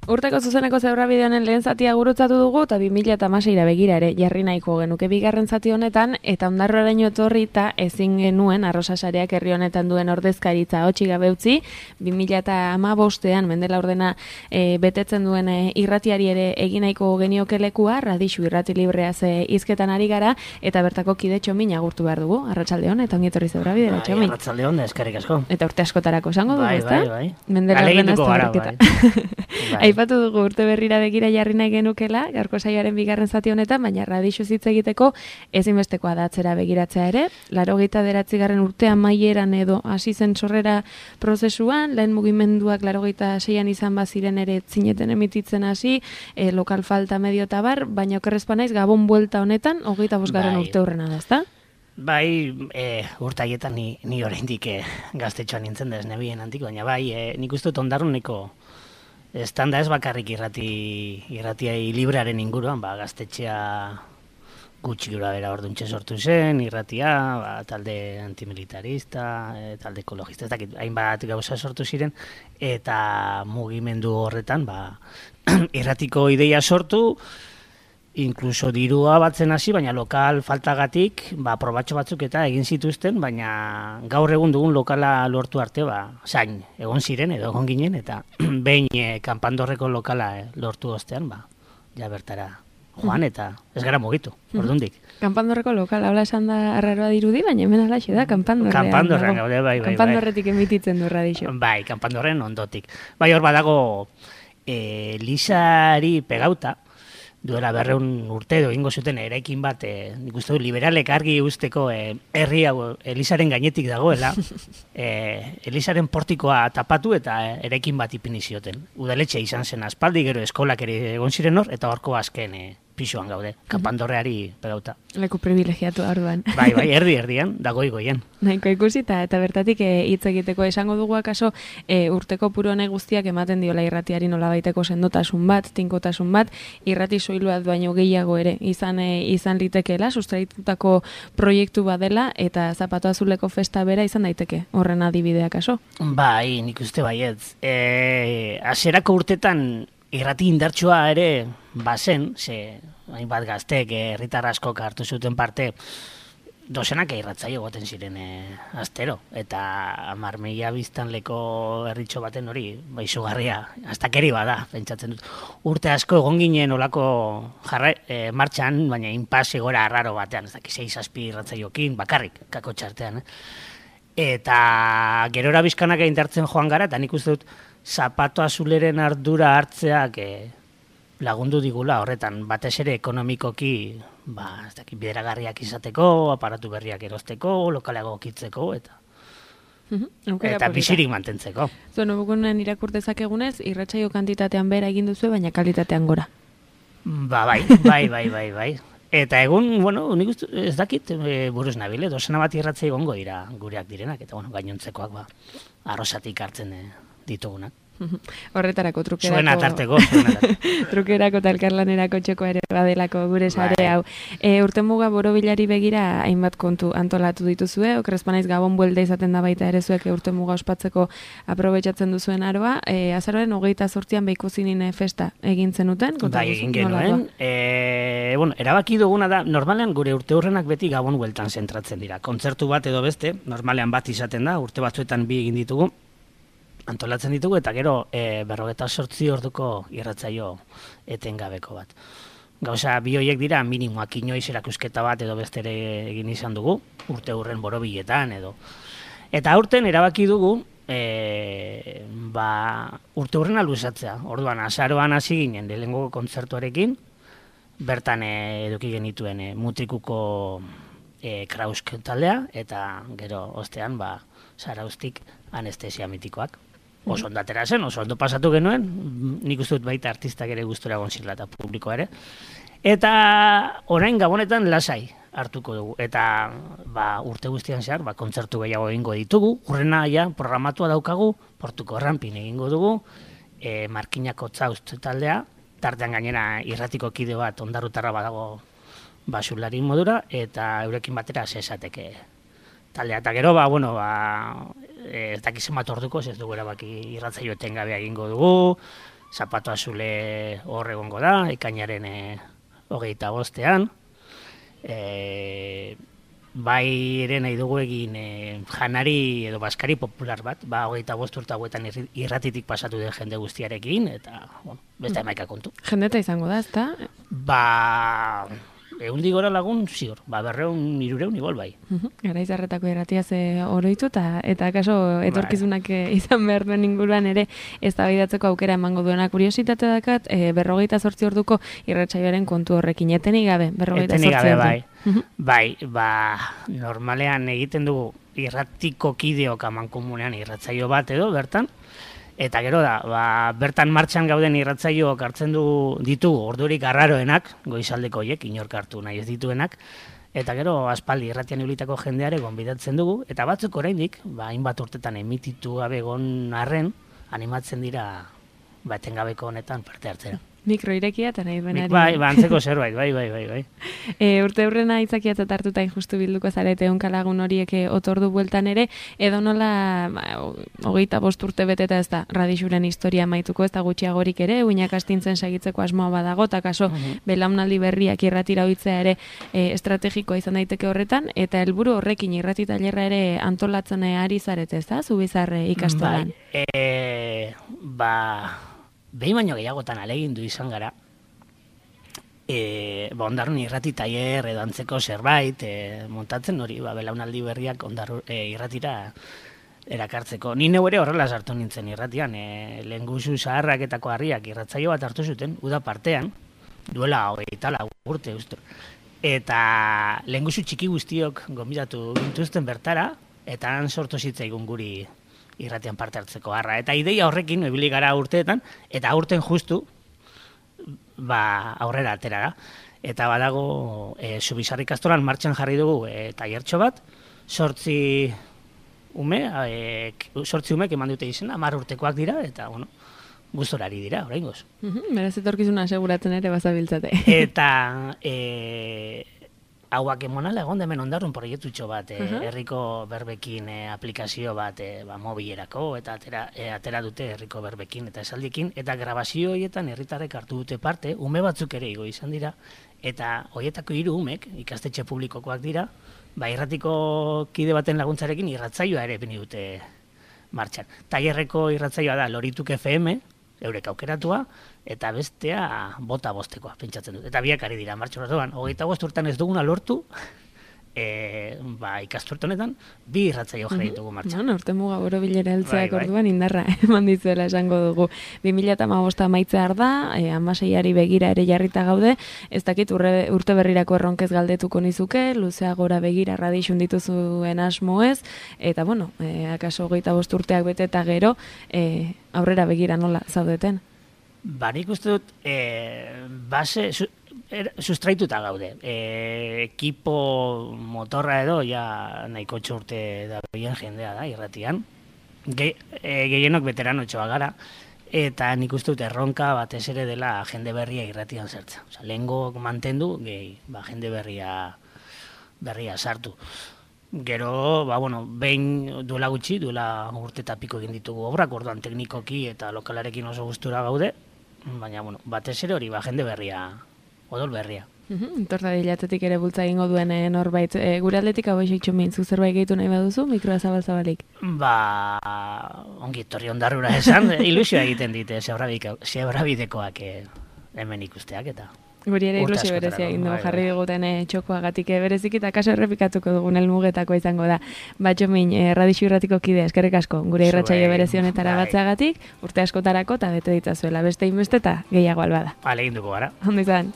Urteko zuzeneko zeurrabideonen lehen zatia gurutzatu dugu eta 2016ra begira ere jarri nahiko genuke bigarren zati honetan eta ondarroraino etorri eta ezin genuen Arrosasareak herri honetan duen ordezkaritza hotxi gabe utzi 2015ean Mendela ordena betetzen duen irratiari ere egin nahiko genioke lekua Radixu irrati libreaz hizketan ari gara eta bertako kide Txomin agurtu behar dugu. Arratsaldeon eta ongi etorri zeurrabidera Txomin. Arratsaldeon, eskerrik asko. Eta urte askotarako esango dugu, ezta? Bai. Mendela ordena bai. Aipatu dugu urte berrira begira jarri nahi genukela, gaurko saioaren bigarren zati honetan, baina Radixu hitz egiteko ezinbestekoa da atzera begiratzea ere. 89. urtean maieran edo hasi zen sorrera prozesuan, lehen mugimenduak 86an izan baziren ere zineten emititzen hasi, lokal falta medio eta bar, baina okerrezpa naiz Gabon buelta honetan, 25. urte hurrena da, ezta? Bai, urte haietan ni oraindik gaztetxoan nintzen da ez nebien antik, baina bai, nik uste dut ondarruneko estanda ez bakarrik irratiai librearen inguruan, gaztetxea gutxi gura bera orduntxe sortu zen, irratia, talde antimilitarista, talde ekologista, ez dakit, hainbat gauza sortu ziren, eta mugimendu horretan, irratiko ideia sortu, inkluso dirua batzen hasi, baina lokal faltagatik, probatxo batzuk eta egin zituzten, baina gaur egun dugun lokala lortu arte, zain, egon ziren edo egon ginen, eta behin kanpandorreko lokala lortu ostean, ja bertara joan eta ez gara mugitu, ordundik. Kanpandorreko lokal, habla esan da arraroa dirudi, baina hemen alaxe da, kanpandorrean. Kanpandorrean gaude, bai. Kanpandorretik emititzen du Radixu. Bai, kanpandorren ondotik. Bai, hor badago Elisari pegauta, duela 200 urte edo egingo zuten eraikin bat, nik uste du liberalek argi usteko herri hau Elisaren gainetik dagoela, Elisaren portikoa tapatu eta eraikin bat ipini zioten. Udaletxe izan zen aspaldi, gero eskolak ere egon ziren hor, eta horko azken pisuan gaude, kanpandorreari pegauta. Leku privilegiatu orduan. Bai, erdian, dagoigoien. Nahiko ikusi eta bertatik hitz egiteko esango dugu akaso urteko puru honek guztiak ematen diola irratiari nolabaiteko sendotasun bat, tinkotasun bat, irrati soiluat baino gehiago ere izan litekeela, sustraitutako proiektu badela eta Zapatu Azuleko festa bera izan daiteke, horren adibidea akaso? Bai, nik uste baietz. Hasierako urtetan irrati indartsua ere bazen, hainbat gaztek herritar askok hartu zuten parte, dozenak irratzaio goten ziren astero, eta 10.000 biztanleko herritxo baten hori, izugarria, astakeri bada, pentsatzen dut. Urte asko egon ginen olako martxan, baina inpase gora arraro batean, ez dakiz 6-7 irratzaiokin, bakarrik, kako txartean. Eta gerora bizkanak indartzen joan gara, eta nik uste dut, Zapatu Azuleren ardura hartzeak lagundu digula horretan, batez ere ekonomikoki bideragarriak izateko, aparatu berriak erosteko, lokalago okitzeko, eta bizirik mantentzeko. Zuen, obukunen irakurtezak egunez, irratsaio kantitatean bera egin duzu, baina kalitatean gora. Bai. Eta egun, nik uste, ez dakit, buruz nabile, dozena bat irratzea egongo dira gureak direnak, eta gainontzekoak arrosatik hartzen ditugunak. Horretarako trukerako. Zuen atarteko. Trukerako eta elkarlanerako txoko ere badelako gure sare hau. Urtemuga borobilari begira hainbat kontu antolatu dituzue, okrezpanaiz Gabon buelta izaten da baita ere zuek urtemuga ospatzeko aprobetxatzen duzuen aroa. Azaroaren 28an Beikuzinine festa egin zenuten? Bai, egin genuen. Erabaki duguna da, normalean gure urte hurrenak beti Gabon bueltan zentratzen dira. Kontzertu bat edo beste, normalean bat izaten da, urte batzuetan bi egin ditugu, antolatzen ditugu, eta gero 48 orduko irratzaio etengabeko bat. Gauza, bi horiek dira minimoak, inoiz erakusketa bat edo bestere egin izan dugu, urte hurren borobiletan edo. Eta aurten erabaki dugu, urte hurrena luzatzea. Orduan, azaroan hasi ginen lehenengo kontzertuarekin, bertan eduki genituen Mutrikuko Krausk taldea, eta gero ostean, Zaraustik anestesia mitikoak. Oso ondo atera zen, oso ondo pasatu genuen, nik uste dut baita artistak ere gustura egon zirela eta publikoa ere. Eta orain Gabonetan lasai hartuko dugu. Eta urte guztian zehar, kontzertu gehiago egingo ditugu, hurrena programatua daukagu, Portuko Errampin egingo dugu, Markinako Tzaust taldea, tartean gainera irratiko kide bat ondarrutarra badago basulari modura, eta eurekin batera zesateke taldea. Eta gero, ez dakizen bat orduko, ez dugu erabaki irratzaio etengabea egingo dugu, Zapato azule hor egongo da, ekainaren 25ean. Bai ere nahi dugu egin janari edo baskari popular bat, 25 urte hauetan irratitik pasatu den jende guztiarekin, eta beste emaika kontu. Jendeta izango da, ezta? Eundik gora lagun, ziur, 200-300 igual bai. Garaizarretako irratiaz oroitu, eta kaso etorkizunak izan behar duen inguruan ere eztabaidatzeko aukera emango duena. Kuriositate dakat, 28 orduko irratsaioaren kontu horrekin, etenik gabe, 28 ordu. Bai, normalean egiten dugu irratiko kideok amankomunean irratsaio bat edo bertan, eta gero da, bertan martxan gauden irratsaioak hartzen ditugu ordurik arraroenak, goizaldeko horiek, inork hartu nahi ez dituenak, eta gero aspaldi irratian ibilitako jendeare gonbidatzen dugu, eta batzuk oraindik, hainbat urtetan emititu gabe egon arren, animatzen dira etengabeko honetan parte hartzera. Mikro irekia eta nahi duenari. Bai, antzeko zerbait, bai. Urte hurrena aitzakiatzat hartuta injustu bilduko zarete onkalagun horiek otordu bueltan ere, edo nola 25 urte beteta ez da Radixuren historia maituko, ez da gutxiagorik ere, uinak astintzen segitzeko asmoa badago, eta kaso belaunaldi berriak irratira ohitzea ere estrategikoa izan daiteke horretan, eta helburu horrekin irrati tailerra ere antolatzen ari zarete, ez da, Zubizar ikastolan. Behin baino gehiagotan alegindu izan gara, Ondarrun irrati tailer edo antzeko zerbait montatzen hori, belaunaldi berriak irratira erakartzeko. Ni neu ere horrela sartu nintzen irratian, lehengusu zaharraketako harriak irratzaio bat hartu zuten, uda partean, duela 24 urte uste. Eta lehengusu txiki guztiok gonbidatu gintuzten bertara, eta han sortu zitzaigun guri irratian parte hartzeko harra. Eta ideia horrekin, ibili gara urteetan, eta aurten justu, aurrera atera da. Eta badago, Zubizar ikastolan martxan jarri dugu tailertxo bat, 8 umek eman dute izena, 10 urtekoak dira, eta, gustorari dira, oraingoz. Beraz etorkizuna aseguratzen ere bazabiltzate. Eta hauak emonala egon hemen Ondarrun proiektutxo bat, herriko berbekin aplikazio bat mobilerako, eta atera dute herriko berbekin eta esaldiekin, eta grabazio horietan herritarrek hartu dute parte, ume batzuk ere igo izan dira, eta horietako 3 umek, ikastetxe publikokoak dira, irratiko kide baten laguntzarekin irratzaioa ere bini dute martxan. Tailerreko irratzaioa da Lorituk FM, eurek aukeratua, eta bestea bota bostekoa, pentsatzen dut. Eta biak ari dira, martxo horretuan, 25 urtean ez duguna lortu, ikasturte honetan, 2 irratzaio jarri ditugu martxan. Urte muga borobilera heltzeak orduan indarra eman dizuela esango dugu. 2015 amaitzear da, 16ari begira ere jarrita gaude, ez dakit urte berrirako erronkez galdetuko nizuke, luzeagora begira Radixun dituzuen asmo ez, eta akaso 25 urteak bete eta gero, aurrera begira nola zaudeten? Nik uste dut, base sustraituta gaude. Ekipo motorra edo, nahiko urte da behien jendea da, irratian. Gehienok veteranotxoa gara, eta nik uste dut erronka batez ere dela jende berria irratian zertza. Lehengo mantendu, jende berria sartu. Gero, behin duela gutxi, duela urte eta piko egin ditugu obrak, orduan teknikoki eta lokalarekin oso gustura gaude, baina, batez ere hori, jende berria, odol berria. Torta dilatetik ere bultza egingo duen norbait. Gure aldetik hau eixo mintzu zerbait gehitu nahi baduzu, mikroa zabal-zabalik? Ongi etorri Ondarrura esan, ilusioa egiten dite, zebrabidekoak hemen ikusteak eta... Guri ere ilusio berezia egin dugu jarri diguten txokoagatik berezik eta kaso errepikatuko dugun helmugetako izango da. Batxomin, Radixu irratiko kide, eskerrik asko, gure irratsaio berezi honetara batzeagatik, urte askotarako eta bete ditzazuela beste inbeste eta gehiago albada. Egin dugu gara. Ondo izan.